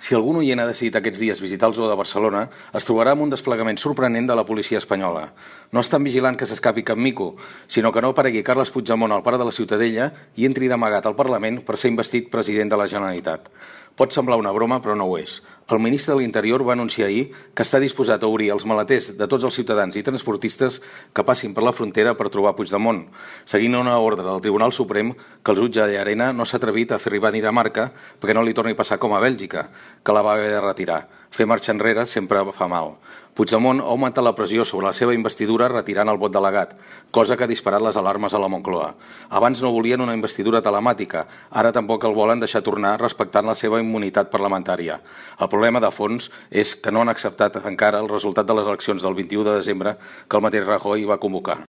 Si algun oient ha decidit aquests dies visitar el zoo de Barcelona, es trobarà amb un desplegament sorprenent de la policia espanyola. No estan vigilant que s'escapi cap mico, sinó que no aparegui Carles Puigdemont al parc de la Ciutadella i entri d'amagat al Parlament per ser investit president de la Generalitat. Pot semblar una broma, però no ho és. El ministre de l'Interior va anunciar ahir que està disposat a obrir els maleters de tots els ciutadans i transportistes que passin per la frontera per trobar Puigdemont, seguint una ordre del Tribunal Suprem que el jutge Llarena no s'ha atrevit a fer arribar a Dinamarca perquè no li torni a passar com a Bèlgica, que la va haver de retirar. Fer marxa enrere sempre fa mal. Puigdemont ha augmentat la pressió sobre la seva investidura retirant el vot delegat, cosa que ha disparat les alarmes a la Moncloa. Abans no volien una investidura telemàtica, ara tampoc el volen deixar tornar respectant la seva immunitat parlamentària. El problema de fons és que no han acceptat encara el resultat de les eleccions del 21 de desembre que el mateix Rajoy va convocar.